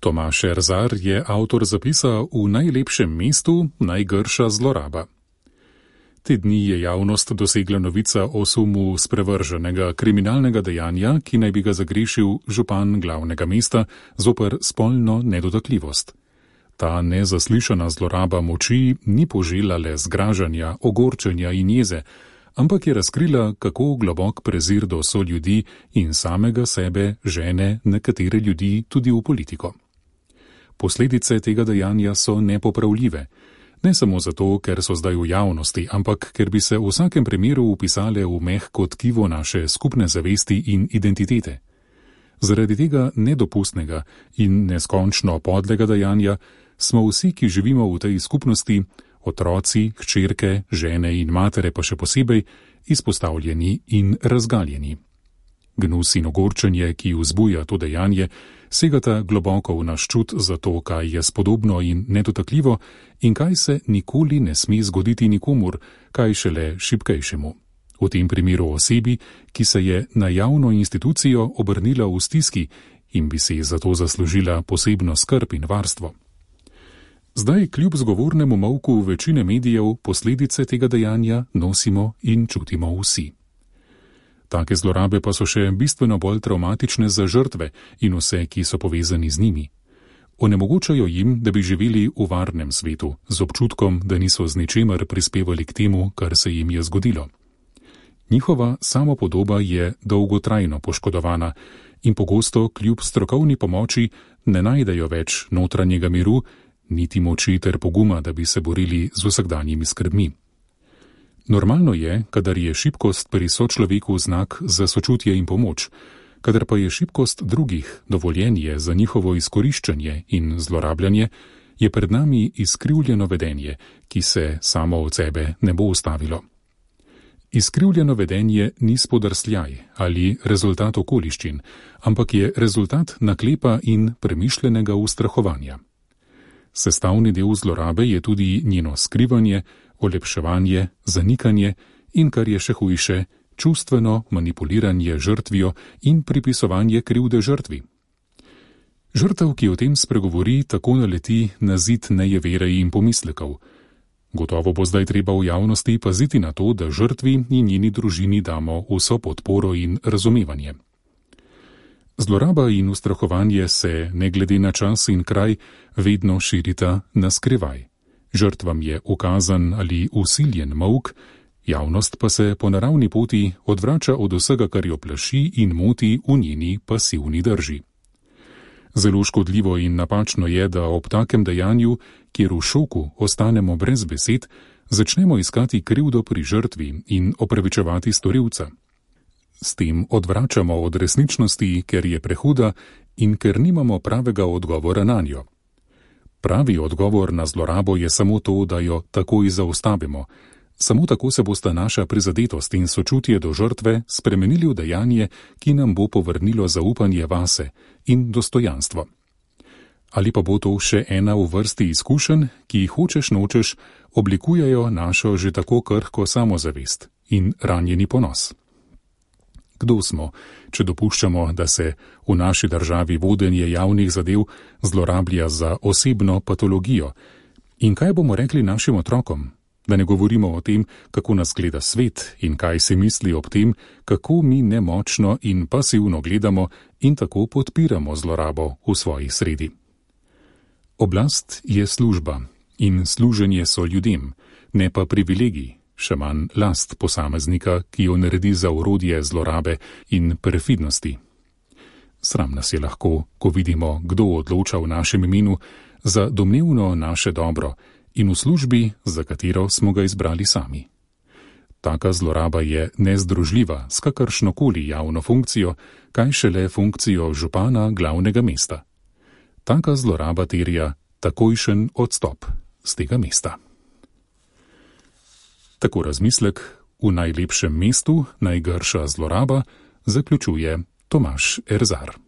Tomaž Erzar je avtor zapisa V najlepšem mestu najgrša zloraba. Te dni je javnost dosegla novica o sumu sprevrženega kriminalnega dejanja, ki naj bi ga zagrešil župan glavnega mesta zoper spolno nedotakljivost. Ta nezaslišana zloraba moči ni požela le zgražanja, ogorčenja in jeze, ampak je razkrila, kako globok prezir do soljudi in samega sebe žene nekatere ljudi tudi v politiko. Posledice tega dejanja so nepopravljive. Ne samo zato, ker so zdaj v javnosti, ampak ker bi se v vsakem primeru upisale v mehko tkivo naše skupne zavesti in identitete. Zaradi tega nedopustnega in neskončno podlega dejanja smo vsi, ki živimo v tej skupnosti, otroci, hčerke, žene in matere pa še posebej, izpostavljeni in razgaljeni. Gnus in ogorčenje, ki vzbuja to dejanje, segata globoko v naš čut za to, kaj je spodobno in nedotakljivo in kaj se nikoli ne sme zgoditi nikomur, kaj šele šibkejšemu. V tem primeru osebi, ki se je na javno institucijo obrnila v stiski in bi si zato zaslužila posebno skrb in varstvo. Zdaj, kljub zgovornemu molku večine medijev, posledice tega dejanja nosimo in čutimo vsi. Take zlorabe pa so še bistveno bolj travmatične za žrtve in vse, ki so povezani z njimi. Onemogočajo jim, da bi živeli v varnem svetu, z občutkom, da niso z ničemer prispevali k temu, kar se jim je zgodilo. Njihova samopodoba je dolgotrajno poškodovana in pogosto kljub strokovni pomoči ne najdejo več notranjega miru, niti moči ter poguma, da bi se borili z vsakdanjimi skrbmi. Normalno je, kadar je šibkost pri sočloveku znak za sočutje in pomoč, kadar pa je šibkost drugih dovoljenje za njihovo izkoriščanje in zlorabljanje, je pred nami izkrivljeno vedenje, ki se samo od sebe ne bo ustavilo. Izkrivljeno vedenje ni spodrsljaj ali rezultat okoliščin, ampak je rezultat naklepa in premišljenega ustrahovanja. Sestavni del zlorabe je tudi njeno skrivanje, olepševanje, zanikanje in, kar je še hujše, čustveno manipuliranje žrtvijo in pripisovanje krivde žrtvi. Žrtev, ki o tem spregovori, tako naleti na zid nejevere in pomislekov. Gotovo bo zdaj treba v javnosti paziti na to, da žrtvi in njeni družini damo vso podporo in razumevanje. Zloraba in ustrahovanje se, ne glede na čas in kraj, vedno širita na skrivaj. Žrtvam je ukazan ali usiljen molk, javnost pa se po naravni poti odvrača od vsega, kar jo plaši in moti v njeni pasivni drži. Zelo škodljivo in napačno je, da ob takem dejanju, kjer v šoku ostanemo brez besed, začnemo iskati krivdo pri žrtvi in opravičevati storilca. S tem odvračamo od resničnosti, ker je prehuda in ker nimamo pravega odgovora nanjo. Pravi odgovor na zlorabo je samo to, da jo takoj zaustavimo. Samo tako se bosta naša prizadetost in sočutje do žrtve spremenili v dejanje, ki nam bo povrnilo zaupanje vase in dostojanstvo. Ali pa bo to še ena v vrsti izkušenj, ki jih hočeš nočeš oblikujejo našo že tako krhko samozavest in ranjeni ponos. Kdo smo, če dopuščamo, da se v naši državi vodenje javnih zadev zlorablja za osebno patologijo? In kaj bomo rekli našim otrokom? Da ne govorimo o tem, kako nas gleda svet in kaj se misli ob tem, kako mi nemočno in pasivno gledamo in tako podpiramo zlorabo v svoji sredi. Oblast je služba in služenje so ljudem, ne pa privilegij. Še manj last posameznika, ki jo naredi za orodje zlorabe in perfidnosti. Sram nas je lahko, ko vidimo, kdo odloča v našem imenu za domnevno naše dobro in v službi, za katero smo ga izbrali sami. Taka zloraba je nezdružljiva s kakršnokoli javno funkcijo, kaj šele funkcijo župana glavnega mesta. Taka zloraba terja takojšen odstop z tega mesta. Tako razmislek V najlepšem mestu najgrša zloraba zaključuje Tomaž Erzar.